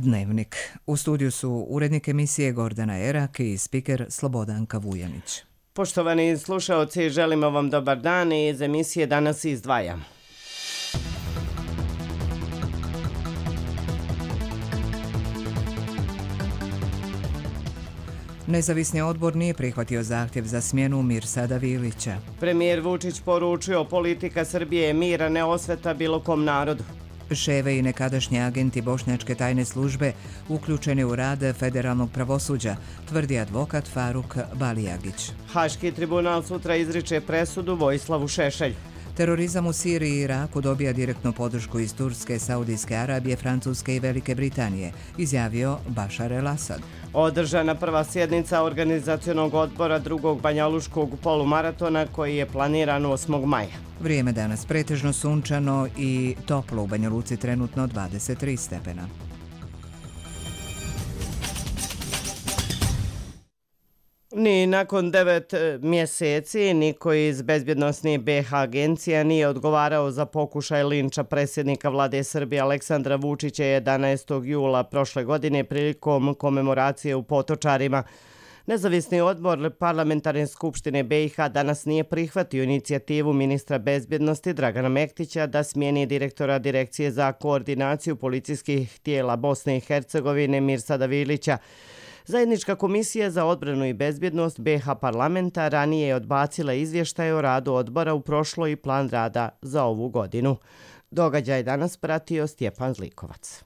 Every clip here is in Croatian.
Dnevnik. U studiju su urednik emisije Gordana Erak i spiker Slobodanka Vujanić. Poštovani slušaoci, želimo vam dobar dan i iz emisije danas izdvajam. Nezavisni odbor nije prihvatio zahtjev za smjenu Mirsada Vilića. Premijer Vučić poručio politika Srbije je mira, ne osveta bilo kom narodu. Ševe i nekadašnji agenti bošnjačke tajne službe uključeni u rad federalnog pravosuđa, tvrdi advokat Faruk Balijagić. Haški tribunal sutra izriče presudu Vojislavu Šešelju. Terorizam u Siriji i Iraku dobija direktnu podršku iz Turske, Saudijske Arabije, Francuske i Velike Britanije, izjavio Bašar el-Asad. Održana prva sjednica organizacionog odbora drugog banjaluškog polumaratona koji je planiran 8. maja. Vrijeme danas pretežno sunčano i toplo, u Banja Luci trenutno 23 stepena. Ni nakon 9 mjeseci niko iz bezbjednosnih BiH agencija nije odgovarao za pokušaj linča predsjednika vlade Srbije Aleksandra Vučića 11. jula prošle godine prilikom komemoracije u Potočarima. Nezavisni odbor Parlamentarne skupštine BiH danas nije prihvatio inicijativu ministra bezbjednosti Dragana Mektića da smijeni direktora Direkcije za koordinaciju policijskih tijela Bosne i Hercegovine Mirsada Vilića. Zajednička komisija za odbranu i bezbjednost BiH parlamenta ranije je odbacila izvještaj o radu odbora u prošloj i plan rada za ovu godinu. Događaj danas pratio Stjepan Zlikovac.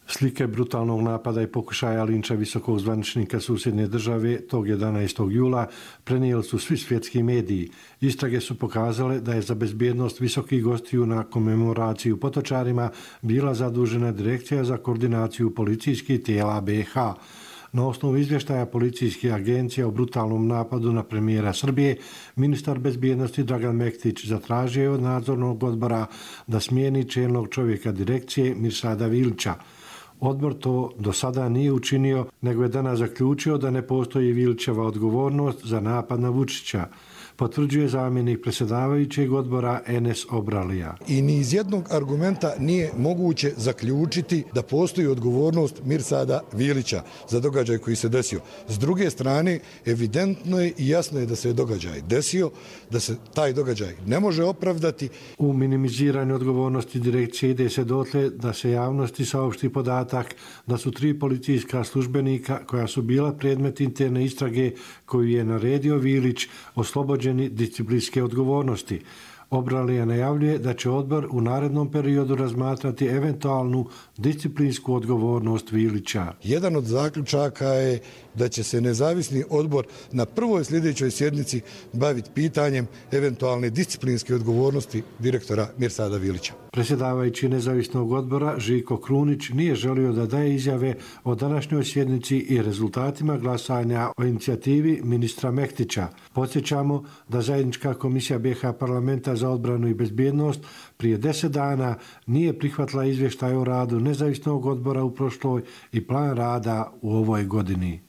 Slike brutalnog napada i pokušaja linča visokog zvaničnika susjedne države tog 11. jula prenijeli su svi svjetski mediji. Istrage su pokazale da je za bezbjednost visokih gostiju na komemoraciji u Potočarima bila zadužena Direkcija za koordinaciju policijskih tijela BiH. Na osnovu izvještaja policijskih agencija o brutalnom napadu na premijera Srbije, ministar bezbjednosti Dragan Mektić zatražio je od nadzornog odbora da smijeni čelnog čovjeka direkcije Mirsada Vilića. Odbor to do sada nije učinio, nego je danas zaključio da ne postoji Vilićeva odgovornost za napad na Vučića, potvrđuje zamjenik predsjedavajućeg odbora Enes Obralija. I ni iz jednog argumenta nije moguće zaključiti da postoji odgovornost Mirsada Vilića za događaj koji se desio. S druge strane, evidentno je i jasno je da se događaj desio, da se taj događaj ne može opravdati. U minimiziranju odgovornosti direkcije ide se dotle da se javnosti saopšti podatak da su 3 policijska službenika koja su bila predmet interne istrage koju je naredio Vilić oslobođeni disciplinske odgovornosti. Obralija najavljuje da će odbor u narednom periodu razmatrati eventualnu disciplinsku odgovornost Vilića. Jedan od zaključaka je da će se nezavisni odbor na prvoj sljedećoj sjednici baviti pitanjem eventualne disciplinske odgovornosti direktora Mirsada Vilića. Predsjedavajući nezavisnog odbora Žiko Krunić nije želio da daje izjave o današnjoj sjednici i rezultatima glasanja o inicijativi ministra Mektića. Podsjećamo da zajednička komisija BiH parlamenta za odbranu i bezbjednost prije 10 dana nije prihvatila izvještaj o radu nezavisnog odbora u prošloj i plan rada u ovoj godini.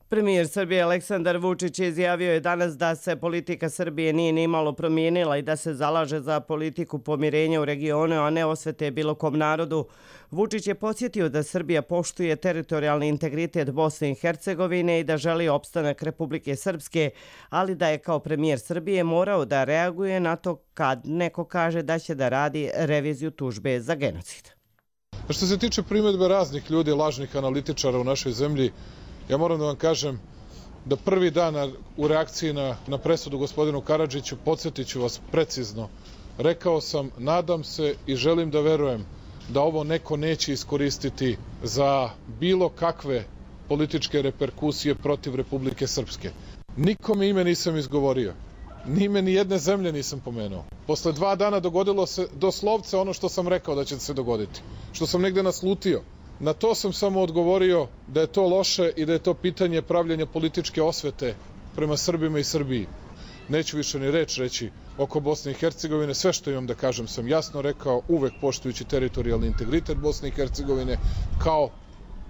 Premijer Srbije Aleksandar Vučić izjavio je danas da se politika Srbije nije ni malo promijenila i da se zalaže za politiku pomirenja u regionu, a ne osvete bilo kom narodu. Vučić je podsjetio da Srbija poštuje teritorijalni integritet Bosne i Hercegovine i da želi opstanak Republike Srpske, ali da je kao premijer Srbije morao da reaguje na to kad neko kaže da će da radi reviziju tužbe za genocid. Što se tiče primjedbe raznih ljudi, lažnih analitičara u našoj zemlji, ja moram da vam kažem da prvi dan u reakciji na presudu gospodinu Karadžiću, podsjetit ću vas precizno, rekao sam, nadam se i želim da verujem da ovo neko neće iskoristiti za bilo kakve političke reperkusije protiv Republike Srpske. Nikome ime nisam izgovorio, ni ime ni jedne zemlje nisam pomenuo. Posle 2 dana dogodilo se doslovce ono što sam rekao da će se dogoditi, što sam negde naslutio. Na to sam samo odgovorio da je to loše i da je to pitanje pravljenja političke osvete prema Srbima i Srbiji. Neću više ni reč reći oko Bosne i Hercegovine. Sve što imam da kažem sam jasno rekao, uvek poštujući teritorijalni integritet Bosne i Hercegovine kao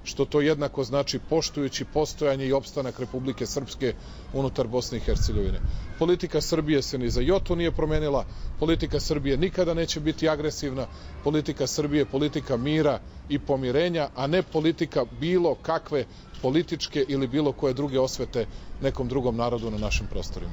što to jednako znači poštujući postojanje i opstanak Republike Srpske unutar Bosne i Hercegovine. Politika Srbije se ni za jotu nije promenila, politika Srbije nikada neće biti agresivna, politika Srbije je politika mira i pomirenja, a ne politika bilo kakve političke ili bilo koje druge osvete nekom drugom narodu na našim prostorima.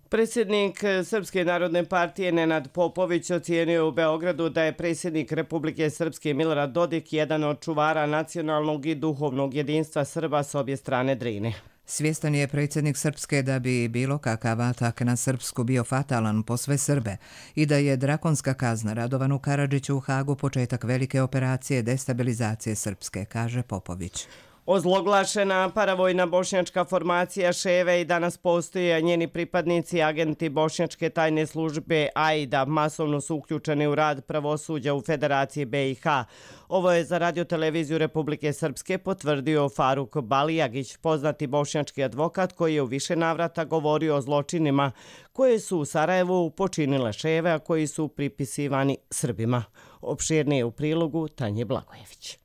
Predsjednik Srpske narodne partije Nenad Popović ocijenio u Beogradu da je predsjednik Republike Srpske Milorad Dodik jedan od čuvara nacionalnog i duhovnog jedinstva Srba s obje strane Drine. Svjestan je predsjednik Srpske da bi bilo kakav atak na Srpsku bio fatalan po sve Srbe i da je drakonska kazna Radovanu Karadžiću u Hagu početak velike operacije destabilizacije Srpske, kaže Popović. Ozloglašena paravojna bošnjačka formacija Ševe i danas postoji, a njeni pripadnici, agenti bošnjačke tajne službe AIDA, masovno su uključeni u rad pravosuđa u Federaciji BiH. Ovo je za radioteleviziju Republike Srpske potvrdio Faruk Balijagić, poznati bošnjački advokat koji je u više navrata govorio o zločinima koje su u Sarajevu počinile Ševe, a koji su pripisivani Srbima. Opširnije u prilogu Tanje Blagojević.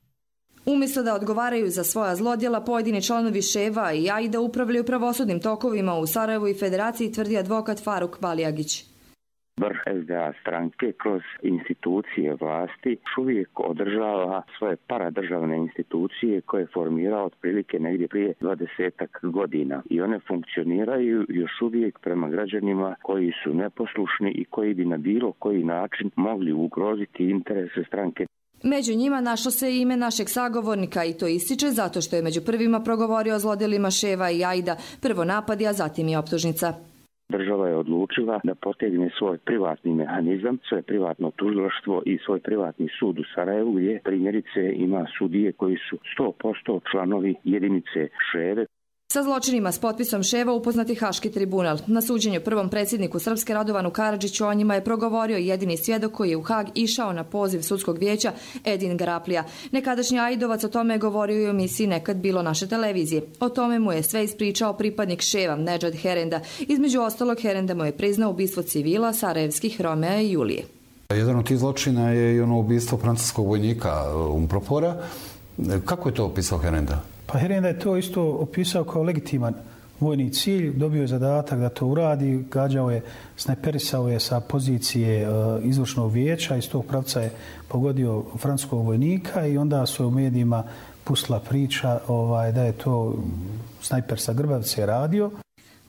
Umjesto da odgovaraju za svoja zlodjela, pojedini članovi Ševa i AIDA upravljaju pravosudnim tokovima u Sarajevu i Federaciji, tvrdi advokat Faruk Balijagić. Vrh SDA stranke kroz institucije vlasti još uvijek održava svoje paradržavne institucije koje je formirao otprilike negdje prije 20 godina. I one funkcioniraju još uvijek prema građanima koji su neposlušni i koji bi na bilo koji način mogli ugroziti interese stranke. Među njima našlo se i ime našeg sagovornika i to ističe zato što je među prvima progovorio o zlodjelima Ševa i AIDA, prvo napadi, a zatim i optužnica. Država je odlučila da potegne svoj privatni mehanizam, svoje privatno tužilaštvo i svoj privatni sud u Sarajevu, gdje primjerice ima sudije koji su 100% članovi jedinice Ševe. Sa zločinima s potpisom Ševa upoznati Haški tribunal. Na suđenju prvom predsjedniku Srpske Radovanu Karadžiću o njima je progovorio jedini svjedok koji je u Hag išao na poziv sudskog vijeća, Edin Graplija. Nekadašnji Aidovac o tome je govorio i u emisiji Nekad bilo naše televizije. O tome mu je sve ispričao pripadnik Ševa, Nedžad Herenda. Između ostalog, Herenda mu je priznao ubistvo civila sarajevskih Romea i Julije. Jedan od tih zločina je i ono ubistvo francuskog vojnika Umpropora. Kako je to opisao Herenda? Pa Herenda je to isto opisao kao legitiman vojni cilj, dobio je zadatak da to uradi, gađao je, snajperisao je sa pozicije izvršnog vijeća, iz tog pravca je pogodio francuskog vojnika i onda su u medijima pustila priča da je to snajper sa Grbavice radio.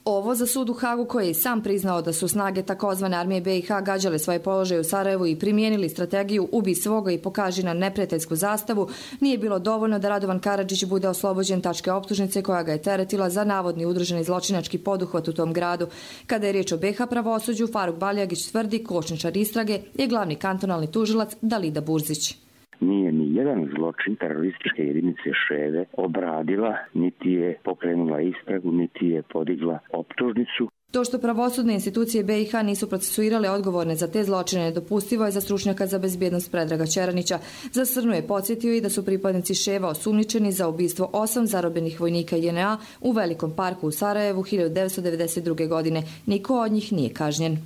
Ovo za sud u Hagu, koji je sam priznao da su snage takozvane armije BiH gađale svoje položaje u Sarajevu i primijenili strategiju ubi svoga i pokaži na neprijateljsku zastavu, nije bilo dovoljno da Radovan Karadžić bude oslobođen tačke optužnice koja ga je teretila za navodni udruženi zločinački poduhvat u tom gradu. Kada je riječ o BiH pravosuđu, Faruk Baljagić tvrdi kočničar istrage je glavni kantonalni tužilac Dalida Burzić. Nije ni jedan zločin terorističke jedinice Ševe obradila, niti je pokrenula istragu, niti je podigla optužnicu. To što pravosudne institucije BiH nisu procesuirale odgovorne za te zločine nedopustivo je za stručnjaka za bezbjednost Predraga Čeranića. Za Srnu je podsjetio i da su pripadnici Ševa osumnjičeni za ubistvo 8 zarobljenih vojnika JNA u Velikom parku u Sarajevu 1992. godine. Niko od njih nije kažnjen.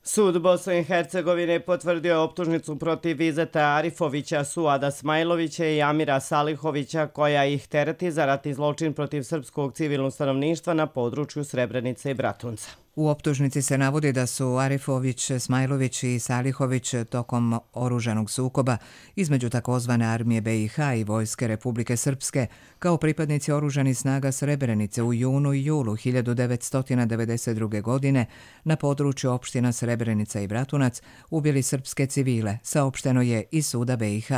Sud Bosne i Hercegovine potvrdio optužnicu protiv Izeta Arifovića, Suada Smajlovića i Amira Salihovića koja ih tereti za ratni zločin protiv srpskog civilnog stanovništva na području Srebrenice i Bratunca. U optužnici se navodi da su Arifović, Smajlović i Salihović tokom oružanog sukoba između takozvane armije BiH i vojske Republike Srpske kao pripadnici oružanih snaga Srebrenice u junu i julu 1992. godine na području opština Srebrenica i Bratunac ubili srpske civile, saopšteno je iz suda BiH.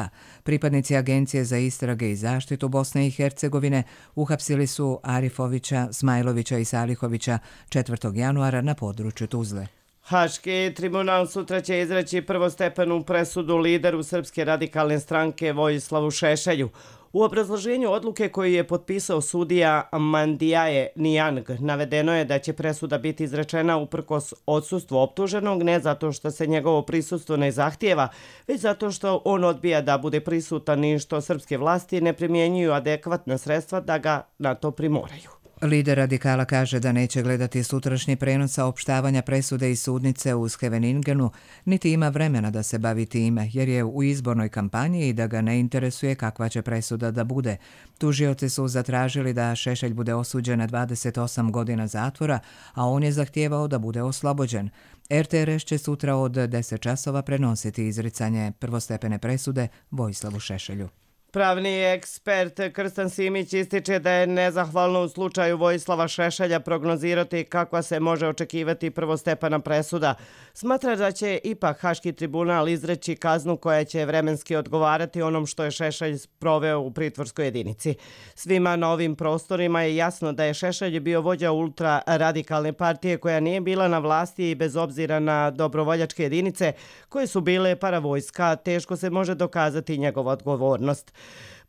Pripadnici Agencije za istrage i zaštitu Bosne i Hercegovine uhapsili su Arifovića, Smajlovića i Salihovića 4. januara na području Tuzle. Haški tribunal sutra će izreći prvostepenu presudu lideru Srpske radikalne stranke Vojislavu Šešelju. U obrazloženju odluke koju je potpisao sudija Mandijaje Nijang navedeno je da će presuda biti izrečena uprkos odsustvu optuženog, ne zato što se njegovo prisustvo ne zahtijeva, već zato što on odbija da bude prisutan i što srpske vlasti ne primjenjuju adekvatna sredstva da ga na to primoraju. Lider radikala kaže da neće gledati sutrašnji prenos saopštavanja presude iz sudnice u Scheveningenu, niti ima vremena da se bavi time, jer je u izbornoj kampanji i da ga ne interesuje kakva će presuda da bude. Tužioci su zatražili da Šešelj bude osuđen na 28 godina zatvora, a on je zahtijevao da bude oslobođen. RTRS će sutra od 10 časova prenositi izricanje prvostepene presude Vojislavu Šešelju. Pravni ekspert Krstan Simić ističe da je nezahvalno u slučaju Vojislava Šešelja prognozirati kakva se može očekivati prvostepena presuda. Smatra da će ipak Haški tribunal izreći kaznu koja će vremenski odgovarati onom što je Šešelj proveo u pritvorskoj jedinici. Svima na ovim prostorima je jasno da je Šešelj bio vođa ultraradikalne partije koja nije bila na vlasti i bez obzira na dobrovoljačke jedinice koje su bile paravojska, teško se može dokazati njegova odgovornost.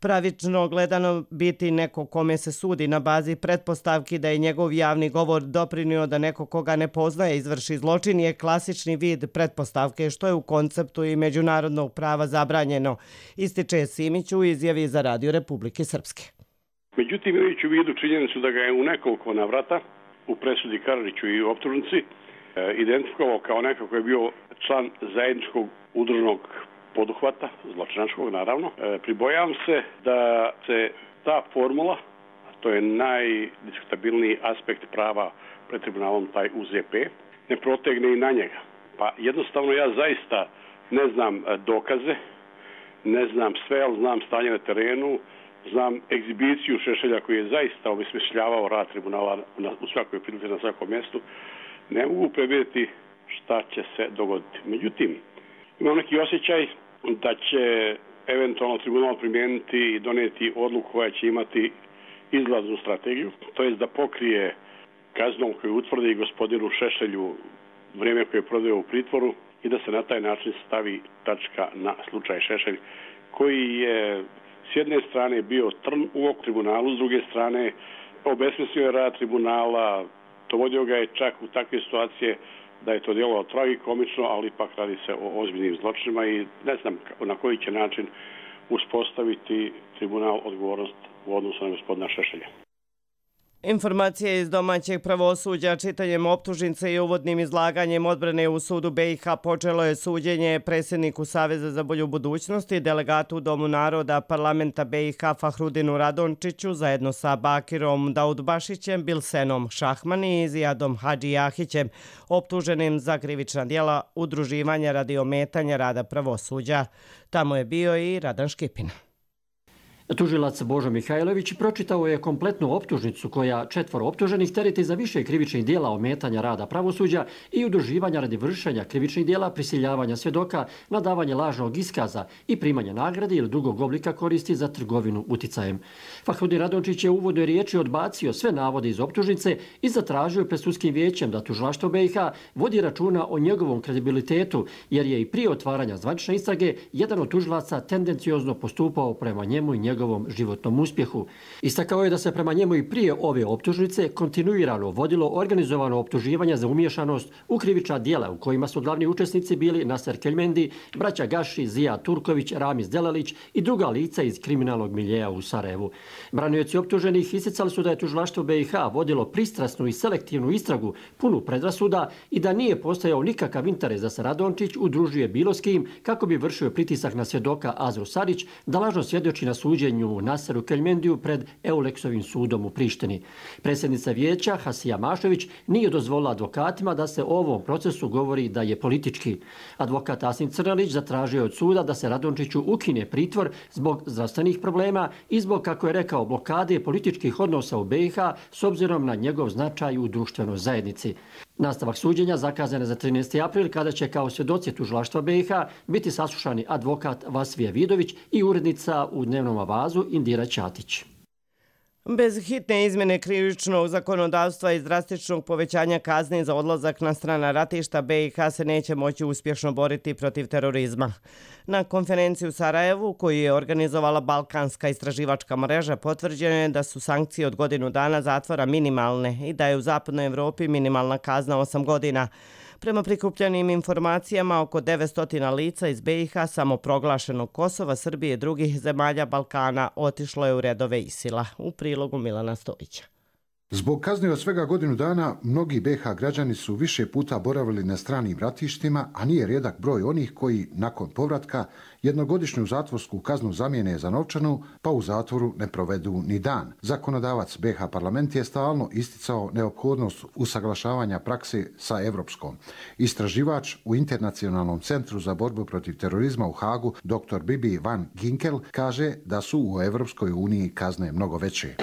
Pravično gledano biti neko kome se sudi na bazi pretpostavki da je njegov javni govor doprinio da neko koga ne poznaje izvrši zločin je klasični vid pretpostavke što je u konceptu i međunarodnog prava zabranjeno, ističe Simić u izjavi za Radio Republike Srpske. Međutim, imajući u vidu činjenicu da ga je u nekoliko navrata u presudi Karadžiću i u optužnici identifikovao kao neko koji je bio član zajedničkog udruženog poduhvata, zločinačkog naravno. Pribojavam se da se ta formula, a to je najdiskutabilniji aspekt prava pred tribunalom, taj UZP, ne protegne i na njega. Pa jednostavno ja zaista ne znam dokaze, ne znam sve, ali znam stanje na terenu, znam egzibiciju Šešelja koji je zaista obesmišljavao rad tribunala u svakoj prilici na svakom mjestu. Ne mogu predvidjeti šta će se dogoditi. Međutim, imam neki osjećaj da će eventualno tribunal primijeniti i donijeti odluku koja će imati izlaznu strategiju, to jest da pokrije kaznom koju utvrdi gospodinu Šešelju vrijeme koje je proveo u pritvoru i da se na taj način stavi tačka na slučaj Šešelj, koji je s jedne strane bio trn u oku tribunalu, s druge strane obesmislio je rad tribunala, dovodio ga je čak u takve situacije da je to djelovalo tragikomično, ali ipak radi se o ozbiljnim zločinima i ne znam na koji će način uspostaviti tribunal odgovornost u odnosu na gospodina Šešelja. Informacije iz domaćeg pravosuđa čitanjem optužnice i uvodnim izlaganjem odbrane u sudu BiH počelo je suđenje predsjedniku Saveza za bolju budućnost i delegatu u Domu naroda parlamenta BiH Fahrudinu Radončiću zajedno sa Bakirom Daudbašićem, Bilsenom Šahmani i Zijadom Hadžijahićem, optuženim za krivična djela udruživanja radi ometanja rada pravosuđa. Tamo je bio i Radan Škipina. Tužilac Božo Mihajlović pročitao je kompletnu optužnicu koja 4 optuženih tereti za više krivičnih djela ometanja rada pravosuđa i udruživanja radi vršenja krivičnih djela, prisiljavanja svjedoka, nadavanje lažnog iskaza i primanje nagrade ili drugog oblika koristi za trgovinu uticajem. Fahrudin Radončić je u uvodnoj riječi odbacio sve navode iz optužnice i zatražio pred sudskim vijećem da tužilaštvo BiH vodi računa o njegovom kredibilitetu, jer je i prije otvaranja zvanične istrage jedan od tužilaca tendenciozno postupao prema njemu i njegovom životnom uspjehu. Istakao je da se prema njemu i prije ove optužnice kontinuirano vodilo organizovano optuživanje za umiješanost u krivična djela u kojima su glavni učesnici bili Naser Keljmendi, braća Gaši, Zija Turković, Ramiz Delalić i druga lica iz kriminalnog miljeja u Sarajevu. Branioci optuženih isticali su da je tužilaštvo BiH vodilo pristrasnu i selektivnu istragu punu predrasuda i da nije postojao nikakav interes da se Radončić udružuje bilo s kim kako bi vršio pritisak na svjedoka Azru Sarić da lažno svjedoči na suđenju Naseru Keljmendiju pred Euleksovim sudom u Prištini. Predsjednica vijeća Hasija Mašović nije dozvolila advokatima da se o ovom procesu govori da je politički. Advokat Asim Crnalić zatražio od suda da se Radončiću ukine pritvor zbog zdravstvenih problema i zbog, kako je rekao, blokade političkih odnosa u BiH s obzirom na njegov značaj u društvenoj zajednici. Nastavak suđenja zakazan je za 13. april kada će kao svjedoci tužilaštva BiH biti saslušani advokat Vasvije Vidović i urednica u Dnevnom avazu Indira Ćatić. Bez hitne izmjene krivičnog zakonodavstva i drastičnog povećanja kazni za odlazak na strana ratišta BiH se neće moći uspješno boriti protiv terorizma. Na konferenciji u Sarajevu, koju je organizovala Balkanska istraživačka mreža, potvrđeno je da su sankcije od godinu dana zatvora minimalne i da je u zapadnoj Evropi minimalna kazna 8 godina. Prema prikupljenim informacijama, oko 900 lica iz BiH, samoproglašenog Kosova, Srbije i drugih zemalja Balkana otišlo je u redove ISIL-a. U prilogu Milana Stojića. Zbog kazne od svega godinu dana, mnogi BiH građani su više puta boravili na stranim ratištima, a nije rijedak broj onih koji, nakon povratka, jednogodišnju zatvorsku kaznu zamijene za novčanu, pa u zatvoru ne provedu ni dan. Zakonodavac BiH parlament je stalno isticao neophodnost usaglašavanja prakse sa evropskom. Istraživač u Internacionalnom centru za borbu protiv terorizma u Hagu, dr. Bibi van Ginkel, kaže da su u Evropskoj uniji kazne mnogo veće.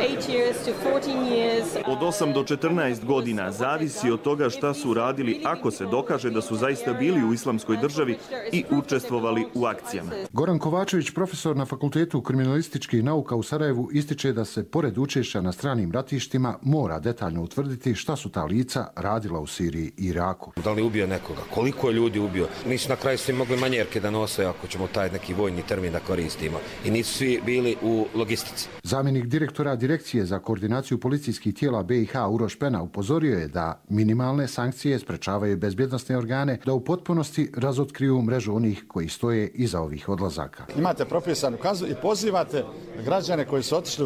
Od 8 do 14 godina zavisi od toga šta su radili ako se dokaže da su zaista bili u islamskoj državi i učestvovali u akcijama. Goran Kovačević, profesor na Fakultetu kriminalističkih nauka u Sarajevu, ističe da se pored učešća na stranim ratištima mora detaljno utvrditi šta su ta lica radila u Siriji i Iraku. Da li ubio nekoga? Koliko je ljudi ubio? Nisu na kraju svi mogli manjerke da nose, ako ćemo taj neki vojni termin da koristimo. I nisu svi bili u logistici. Zamjenik direktora Direkcije za koordinaciju policijskih tijela BiH Uroš Pena upozorio je da minimalne sankcije sprečavaju bezbjednosne organe da u potpunosti razotkriju mrežu onih koji stoje iza ovih odlazaka. Imate propisanu kaznu i pozivate građane koji su otišli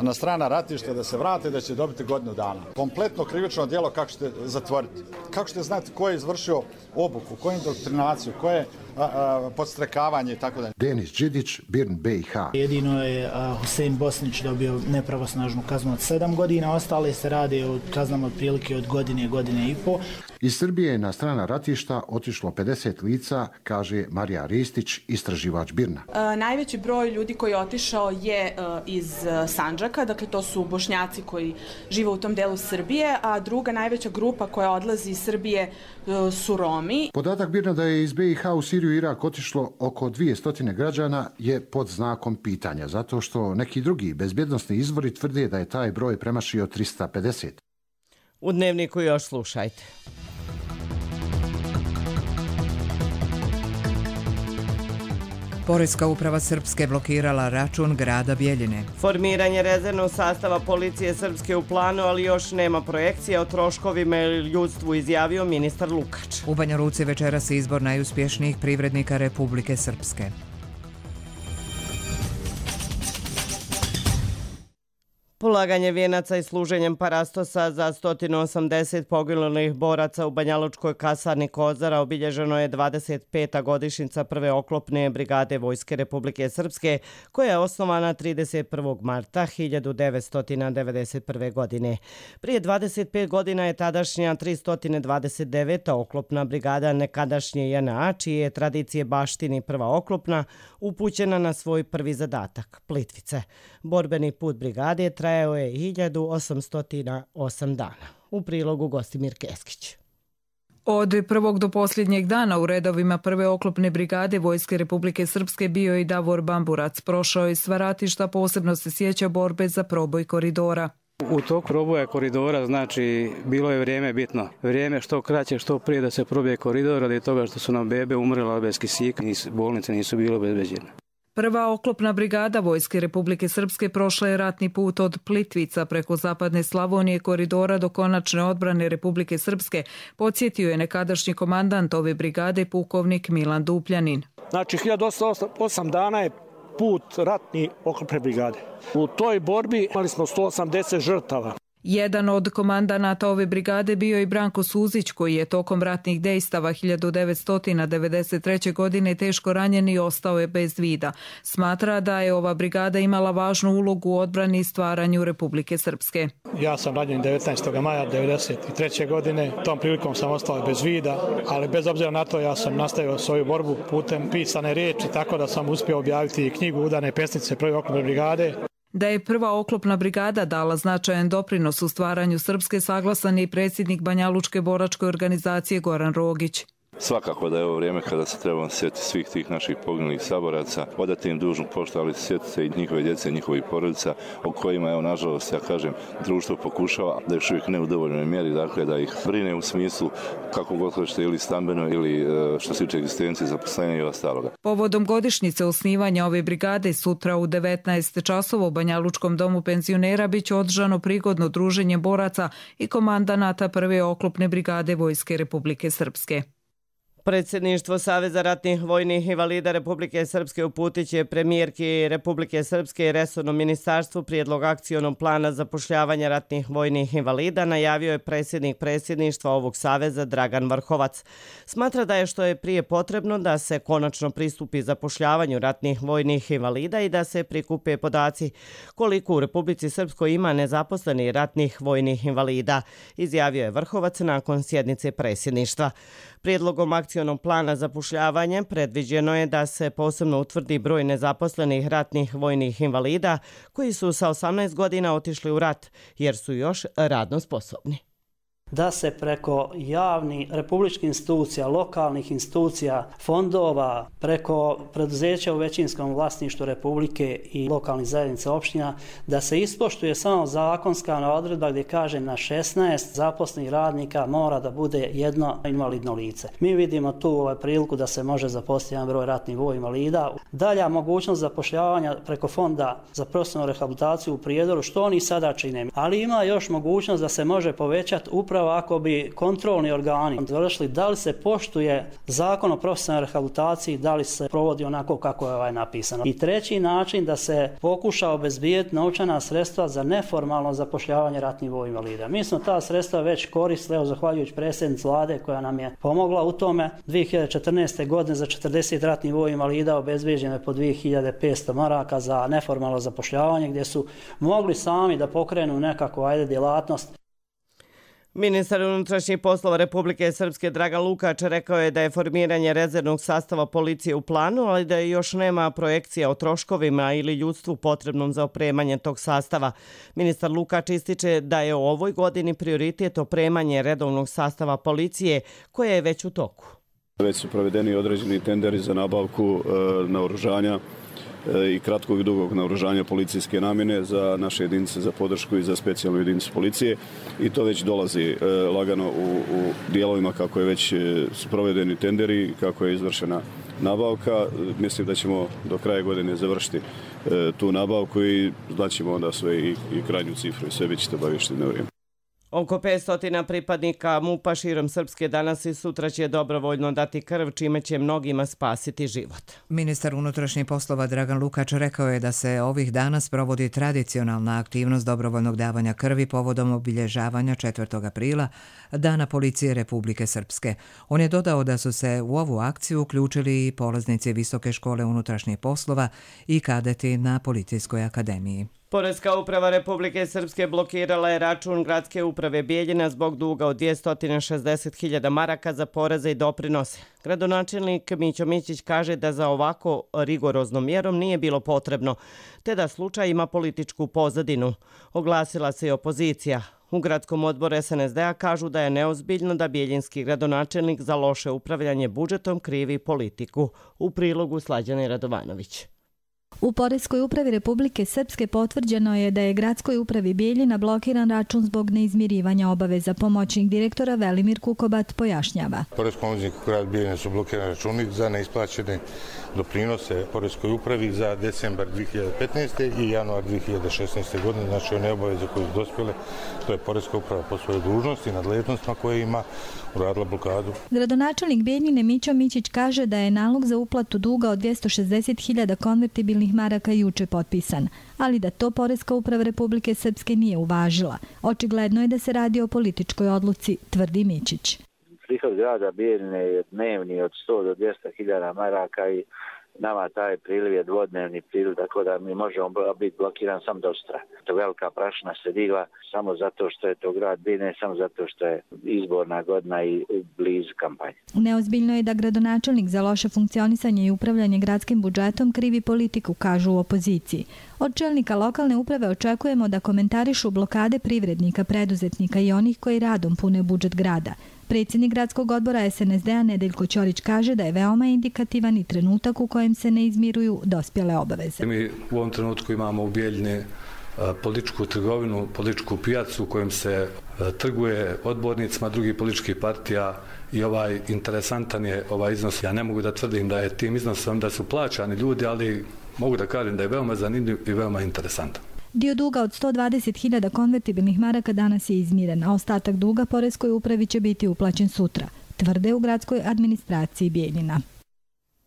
na strana ratišta da se vrate, da će dobiti godinu dana. Kompletno krivično djelo kako ćete zatvoriti. Kako ćete znati ko je izvršio obuku, ko je indoktrinaciju, ko je podstrekavanje i tako dalje. Denis Đidić, Birn BiH. Jedino je Husein Bosnić dobio nepravosnažnu kaznu od 7 godina, ostale se radi o kaznama otprilike od godine i po. Iz Srbije je na strana ratišta otišlo 50 lica, kaže Marija Ristić, istraživač Birna. Najveći broj ljudi koji je otišao je iz Sandžaka, dakle to su Bošnjaci koji žive u tom delu Srbije, a druga najveća grupa koja odlazi iz Srbije su Romi. Podatak Birna da je iz BiH u Siriju i Irak otišlo oko 200 građana je pod znakom pitanja, zato što neki drugi bezbjednosni izvori tvrde da je taj broj premašio 350. U Dnevniku još slušajte. Poreska uprava Srpske blokirala račun grada Bjeljine. Formiranje rezervnog sastava policije Srpske u planu, ali još nema projekcije o troškovima ili ljudstvu, izjavio ministar Lukač. U Banja Luci večeras izbor najuspješnijih privrednika Republike Srpske. Polaganje vijenaca i služenjem parastosa za 180 poginulih boraca u banjalučkoj kasarni Kozara obilježeno je 25. godišnjica prve oklopne brigade Vojske Republike Srpske, koja je osnovana 31. marta 1991. godine. Prije 25 godina je tadašnja 329. oklopna brigada nekadašnje JNA, čije je tradicije baštini prva oklopna, upućena na svoj prvi zadatak, Plitvice. Borbeni put brigade trajao je 1808 dana. U prilogu Gostimir Keskić. Od prvog do posljednjeg dana u redovima prve oklopne brigade Vojske Republike Srpske bio i Davor Bamburac. Prošao je sva ratišta, posebno se sjeća borbe za proboj koridora. U toku proboja koridora, znači, bilo je vrijeme bitno. Vrijeme što kraće, što prije da se probije koridor, radi toga što su nam bebe umrela bez kisika, bolnice nisu bile obezbeđene. Prva oklopna brigada Vojske Republike Srpske prošla je ratni put od Plitvica preko zapadne Slavonije koridora do konačne odbrane Republike Srpske, podsjetio je nekadašnji komandant ove brigade pukovnik Milan Dupljanin. Znači, 1808 dana je put ratni oklopne brigade. U toj borbi imali smo 180 žrtava. Jedan od komandanata ove brigade bio i Branko Suzić, koji je tokom ratnih dejstava 1993. godine teško ranjen i ostao je bez vida. Smatra da je ova brigada imala važnu ulogu u odbrani i stvaranju Republike Srpske. Ja sam ranjen 19. maja 1993. godine. Tom prilikom sam ostao bez vida, ali bez obzira na to ja sam nastavio svoju borbu putem pisane riječi, tako da sam uspio objaviti knjigu Udane pesnice prve oklopne brigade. Da je prva oklopna brigada dala značajan doprinos u stvaranju Srpske, saglasan je i predsjednik Banjalučke boračke organizacije Goran Rogić. Svakako da je ovo vrijeme kada se trebamo sjetiti svih tih naših poginulih saboraca, odati im dužnu poštu, ali sjetiti se i njihove djece, njihovih porodica, o kojima, evo, nažalost, ja kažem, društvo pokušava da još uvijek ne u dovoljnoj mjeri, dakle, da ih brine u smislu, kako god hoćete, ili stambeno, ili što se tiče egzistencije, zaposlenja i ostaloga. Povodom godišnjice osnivanja ove brigade sutra u 19 časova u Banjalučkom domu penzionera biće održano prigodno druženje boraca i komandanata prve oklopne brigade Vojske Republike Srpske. Predsjedništvo Saveza ratnih vojnih invalida Republike Srpske uputit će premijerki Republike Srpske i resornom ministarstvu prijedlog akcionog plana zapošljavanja ratnih vojnih invalida, najavio je predsjednik predsjedništva ovog saveza Dragan Vrhovac. Smatra da je što je prije potrebno da se konačno pristupi zapošljavanju ratnih vojnih invalida i da se prikupe podaci koliko u Republici Srpskoj ima nezaposlenih ratnih vojnih invalida, izjavio je Vrhovac nakon sjednice predsjedništva. Prijedlogom akcionog plana zapošljavanja predviđeno je da se posebno utvrdi broj nezaposlenih ratnih vojnih invalida koji su sa 18 godina otišli u rat jer su još radno sposobni. Da se preko javnih republičkih institucija, lokalnih institucija, fondova, preko preduzeća u većinskom vlasništvu Republike i lokalnih zajednica opština, da se ispoštuje samo zakonska odredba gdje kaže na 16 zaposlenih radnika mora da bude jedno invalidno lice. Mi vidimo tu priliku da se može zaposliti jedan broj ratnih vojnih invalida. Dalja mogućnost zapošljavanja preko fonda za profesionalnu rehabilitaciju u Prijedoru, što oni sada čine. Ali ima još mogućnost da se može povećati upravo ako bi kontrolni organi došli da li se poštuje zakon o profesionalnoj rehabilitaciji, da li se provodi onako kako je napisano. I treći način da se pokuša obezbijeti novčana sredstva za neformalno zapošljavanje ratnih vojnih invalida. Mi smo ta sredstva već koristili, evo zahvaljujući predsjednici vlade koja nam je pomogla u tome. 2014. godine za 40 ratnih vojnih invalida obezbeđeno je po 2500 maraka za neformalno zapošljavanje gdje su mogli sami da pokrenu nekakvu djelatnost. Ministar unutrašnjih poslova Republike Srpske Dragan Lukač rekao je da je formiranje rezervnog sastava policije u planu, ali da još nema projekcija o troškovima ili ljudstvu potrebnom za opremanje tog sastava. Ministar Lukač ističe da je u ovoj godini prioritet opremanje redovnog sastava policije koje je već u toku. Već su provedeni određeni tenderi za nabavku naoružanja i kratkog i dugog naoružanja policijske namjene za naše jedinice za podršku i za specijalnu jedinicu policije i to već dolazi lagano u dijelovima kako je već provedeni tenderi, kako je izvršena nabavka. Mislim da ćemo do kraja godine završiti tu nabavku i znaćemo onda sve i krajnju cifru i sve bit ćete obaviješteni na vrijeme. Oko 500 pripadnika MUP-a širom Srpske danas i sutra će dobrovoljno dati krv, čime će mnogima spasiti život. Ministar unutrašnjih poslova Dragan Lukač rekao je da se ovih dana sprovodi tradicionalna aktivnost dobrovoljnog davanja krvi povodom obilježavanja 4. aprila, Dana policije Republike Srpske. On je dodao da su se u ovu akciju uključili i polaznici Visoke škole unutrašnjih poslova i kadeti na Policijskoj akademiji. Poreska uprava Republike Srpske blokirala je račun gradske uprave Bijeljina zbog duga od 260.000 maraka za poreze i doprinose. Gradonačelnik Mićo Mićić kaže da za ovako rigoroznom mjerom nije bilo potrebno, te da slučaj ima političku pozadinu. Oglasila se i opozicija. U gradskom odboru SNSD-a kažu da je neozbiljno da bijeljinski gradonačelnik za loše upravljanje budžetom krivi politiku. U prilogu Slađane Radovanović. U Poreskoj upravi Republike Srpske potvrđeno je da je gradskoj upravi Bijeljina blokiran račun zbog neizmirivanja obaveza. Pomoćnik direktora Velimir Kukobat pojašnjava. Poreskom obvezniku grad Bijeljina su blokirani računi za neisplaćene doprinose Poreskoj upravi za decembar 2015. i januar 2016. godine, znači one obaveze koje su dospjele, to je Poreska uprava po svojoj dužnosti i nadležnostima koje ima uradila blokadu. Gradonačelnik Bijeljine Mićo Mićić kaže da je nalog za uplatu duga od 260.000 konvertibilnih maraka juče potpisan, ali da to Poreska uprava Republike Srpske nije uvažila. Očigledno je da se radi o političkoj odluci, tvrdi Mićić. Prihod grada Bijeljine je dnevni od 100 do 200.000 maraka i nama taj priliv je dvodnevni priliv, tako da mi možemo biti blokiran sam do sutra. To velika prašina se digla samo zato što je to grad Bijeljine, samo zato što je izborna godina i blizu kampanje. Neozbiljno je da gradonačelnik za loše funkcionisanje i upravljanje gradskim budžetom krivi politiku, kažu u opoziciji. Od čelnika lokalne uprave očekujemo da komentarišu blokade privrednika, preduzetnika i onih koji radom pune budžet grada. Predsjednik gradskog odbora SNSD-a Nedeljko Ćorić kaže da je veoma indikativan i trenutak u kojem se ne izmiruju dospjele obaveze. Mi u ovom trenutku imamo u Bijeljini političku trgovinu, političku pijacu u kojem se trguje odbornicima drugih političkih partija i interesantan je ovaj iznos. Ja ne mogu da tvrdim da je tim iznosom da su plaćani ljudi, ali mogu da kažem da je veoma zanimljiv i veoma interesantan. Dio duga od 120.000 konvertibilnih maraka danas je izmiren, a ostatak duga Poreskoj upravi će biti uplaćen sutra. tvrde u gradskoj administraciji Bijeljina.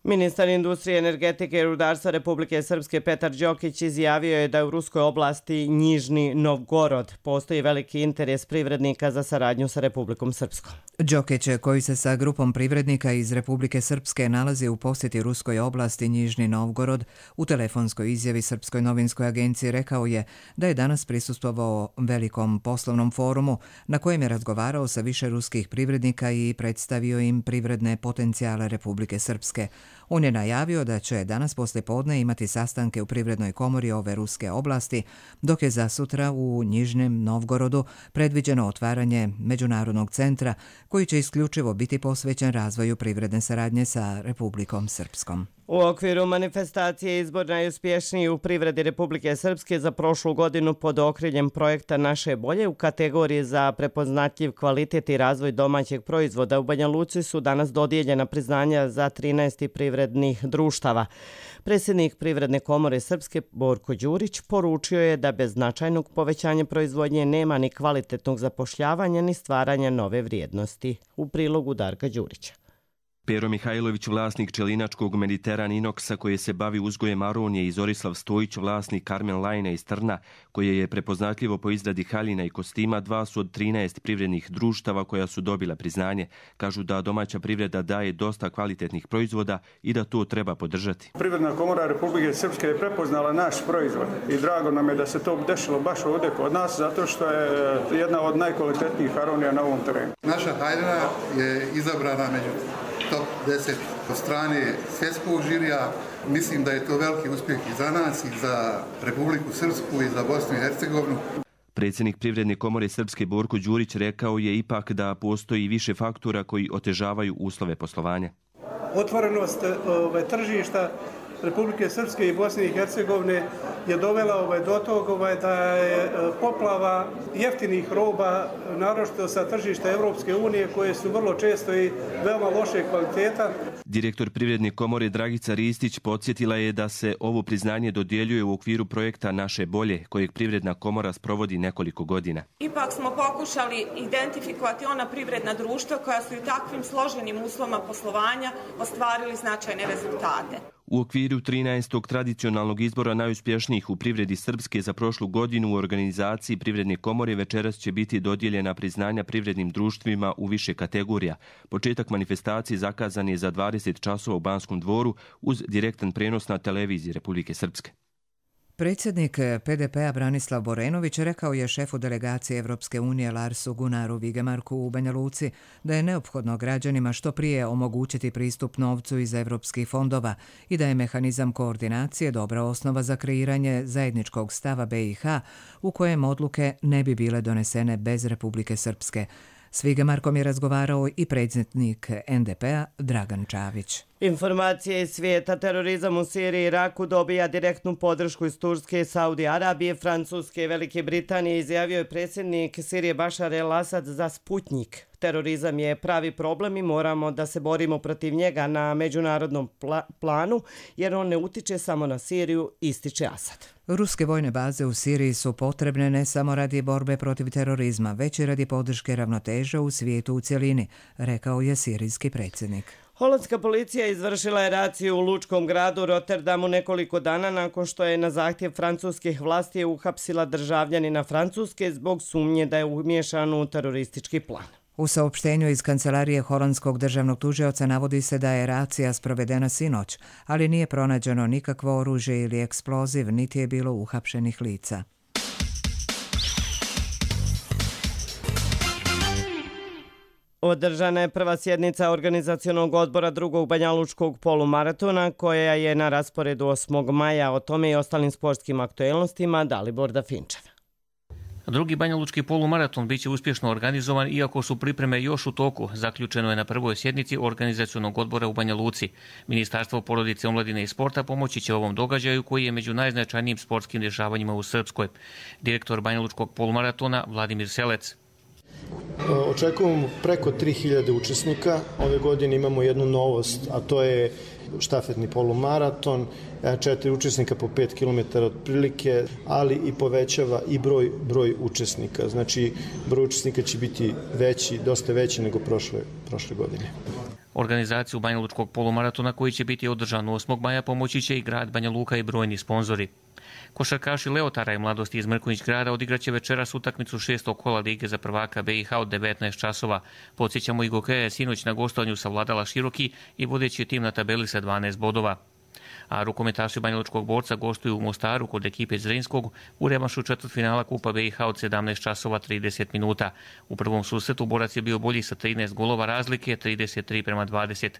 Ministar industrije, energetike i rudarstva Republike Srpske Petar Đokić izjavio je da u ruskoj oblasti Njižni Novgorod postoji veliki interes privrednika za saradnju sa Republikom Srpskom. Đokić, koji se sa grupom privrednika iz Republike Srpske nalazi u posjeti ruskoj oblasti Njižni Novgorod, u telefonskoj izjavi Srpskoj novinskoj agenciji rekao je da je danas prisustvovao velikom poslovnom forumu na kojem je razgovarao sa više ruskih privrednika i predstavio im privredne potencijale Republike Srpske. On je najavio da će danas poslijepodne imati sastanke u Privrednoj komori ove ruske oblasti, dok je za sutra u Njižnem Novgorodu predviđeno otvaranje međunarodnog centra koji će isključivo biti posvećen razvoju privredne saradnje sa Republikom Srpskom. U okviru manifestacije Izbor najuspješniji u privredi Republike Srpske za prošlu godinu pod okriljem projekta Naše bolje u kategoriji za prepoznatljiv kvalitet i razvoj domaćeg proizvoda u Banja Luci su danas dodijeljena priznanja za 13 privrednih društava. Predsjednik Privredne komore Srpske Borko Đurić poručio je da bez značajnog povećanja proizvodnje nema ni kvalitetnog zapošljavanja ni stvaranja nove vrijednosti. U prilogu Darka Đurića. Pero Mihajlović, vlasnik Čelinačkog Mediteran Inoksa koje se bavi uzgojem aronije i Zorislav Stojić, vlasnik Carmen Line iz Trna koje je prepoznatljivo po izradi haljina i kostima, 2 su od 13 privrednih društava koja su dobila priznanje. Kažu da domaća privreda daje dosta kvalitetnih proizvoda i da to treba podržati. Privredna komora Republike Srpske je prepoznala naš proizvod i drago nam je da se to dešilo baš ovdje kod nas zato što je jedna od najkvalitetnijih aronija na ovom terenu. Naša haljina je izabrana među top 10 od strane svjetskog žirija. Mislim da je to veliki uspjeh i za nas, i za Republiku Srpsku, i za Bosnu i Hercegovinu. Predsjednik Privredne komore Srpske Borko Đurić rekao je ipak da postoji više faktora koji otežavaju uslove poslovanja. Otvorenost tržišta Republike Srpske i Bosne i Hercegovine je dovela do toga da je poplava jeftinih roba, naročito sa tržišta Evropske unije, koje su vrlo često i veoma loše kvaliteta. Direktor Privredne komore Dragica Ristić podsjetila je da se ovo priznanje dodjeljuje u okviru projekta Naše bolje, kojeg Privredna komora sprovodi nekoliko godina. Ipak smo pokušali identifikovati ona privredna društva koja su i takvim složenim uslovima poslovanja ostvarili značajne rezultate. U okviru 13. tradicionalnog izbora najuspješnijih u privredi Srpske za prošlu godinu u organizaciji Privredne komore večeras će biti dodijeljena priznanja privrednim društvima u više kategorija. Početak manifestacije zakazan je za 20 časova u Banskom dvoru uz direktan prenos na televiziji Republike Srpske. Predsjednik PDP-a Branislav Borenović rekao je šefu delegacije Evropske unije Larsu Gunnaru Vigemarku u Banja Luci da je neophodno građanima što prije omogućiti pristup novcu iz evropskih fondova i da je mehanizam koordinacije dobra osnova za kreiranje zajedničkog stava BiH u kojem odluke ne bi bile donesene bez Republike Srpske. S Vigemarkom je razgovarao i predsjednik NDP-a Dragan Čavić. Informacije iz svijeta. Terorizam u Siriji i Iraku dobija direktnu podršku iz Turske, Saudi Arabije, Francuske i Velike Britanije, izjavio je predsjednik Sirije Bašar el-Asad za Sputnik. Terorizam je pravi problem i moramo da se borimo protiv njega na međunarodnom planu, jer on ne utiče samo na Siriju, ističe Asad. Ruske vojne baze u Siriji su potrebne ne samo radi borbe protiv terorizma, već i radi podrške ravnoteže u svijetu u cjelini, rekao je sirijski predsjednik. Holandska policija izvršila je raciju u lučkom gradu Rotterdamu nekoliko dana nakon što je na zahtjev francuskih vlasti uhapsila državljanina Francuske zbog sumnje da je umiješan u teroristički plan. U saopštenju iz kancelarije holandskog državnog tužioca navodi se da je racija sprovedena sinoć, ali nije pronađeno nikakvo oružje ili eksploziv, niti je bilo uhapšenih lica. Održana je prva sjednica organizacionog odbora drugog banjalučkog polumaratona koja je na rasporedu 8. maja. O tome i ostalim sportskim aktuelnostima Dalibor Dafinčev. Drugi banjalučki polumaraton biće uspješno organizovan iako su pripreme još u toku, zaključeno je na prvoj sjednici organizacionog odbora u Banja Luci. Ministarstvo porodice, omladine i sporta pomoći će ovom događaju koji je među najznačajnijim sportskim dešavanjima u Srpskoj. Direktor banjalučkog polumaratona Vladimir Selec. Očekujemo preko 3000 učesnika. Ove godine imamo jednu novost, a to je štafetni polumaraton, 4 učesnika po 5 km otprilike, ali i povećava i broj učesnika. Znači, broj učesnika će biti veći, dosta veći nego prošle godine. Organizaciju Banjalučkog polumaratona koji će biti održan 8. maja pomoći će i grad Banja Luka i brojni sponzori. Košarkaši Leotara i Mladosti iz Mrkonjić grada odigraće večeras utakmicu 6. kola Lige za prvaka BiH od 19 časova. Podsjećamo i Gokeja je sinoć na gostovanju savladala Široki i vodeći tim na tabeli sa 12 bodova. A rukometaši Banjalučkog borca gostuju u Mostaru kod ekipe Zrinskog u revanšu četvrtfinala Kupa BiH od 17 časova 30 minuta. U prvom susretu borac je bio bolji sa 13 golova razlike, 33:20.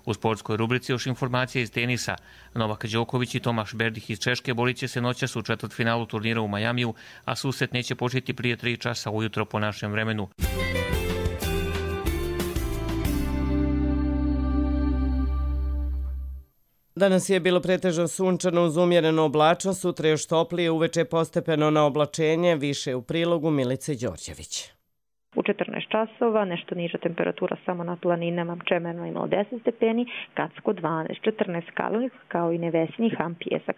U sportskoj rubrici još informacije iz tenisa. Novak Đoković i Tomaš Berdih iz Češke borit će se noćas u četvrtfinalu turnira u Majamiju, a susret neće početi prije 3 časa ujutro po našem vremenu. Danas je bilo pretežno sunčano uz umjerenu oblačnost, sutra još toplije, uveče postepeno na oblačenje, više u prilogu Milice Đorđević. U 14 časova, nešto niža temperatura samo na planinama, Čemerno imalo 10 stepeni, Kacko 12, 14 Kalnik, kao i Nevesinji, Ham, Pjesak,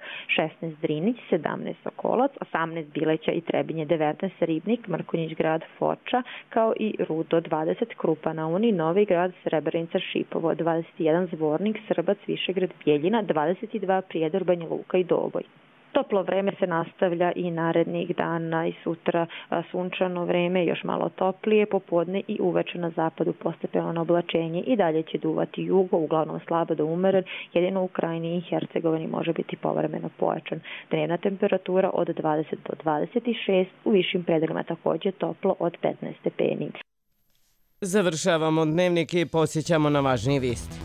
16 Drinić, 17 Sokolac, 18 Bileća i Trebinje, 19 Ribnik, Mrkonjić grad, Foča, kao i Rudo, 20 Krupa na Uni, Novi grad, Srebrenica, Šipovo, 21 Zvornik, Srbac, Višegrad, Bjeljina, 22 Prijedor, Banja Luka i Doboj. Toplo vreme se nastavlja i narednih dana i sutra sunčano vreme, još malo toplije, popodne i uveče na zapadu postepeno na oblačenje i dalje će duvati jugo, uglavnom slabo do umeren, jedino u Krajini i Hercegovini može biti povremeno pojačan. Dnevna temperatura od 20 do 26, u višim predelima također toplo od 15 stepeni. Završavamo dnevnik i posjećamo na važnije vijesti.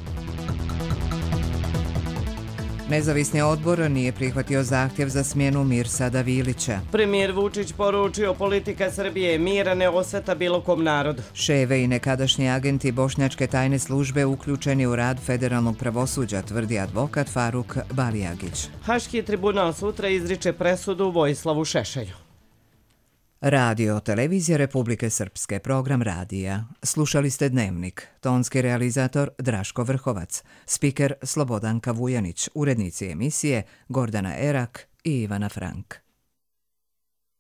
Nezavisni odbor nije prihvatio zahtjev za smjenu Mirsada Vilića. Premijer Vučić poručio politika Srbije mira ne osveta bilo kom narodu. Ševe i nekadašnji agenti bošnjačke tajne službe uključeni u rad federalnog pravosuđa, tvrdi advokat Faruk Balijagić. Haški tribunal sutra izriče presudu Vojislavu Šešelju. Radio Televizija Republike Srpske, program radija. Slušali ste Dnevnik. Tonski realizator Draško Vrhovac, spiker Slobodanka Vujanić, urednici emisije Gordana Erak i Ivana Frank.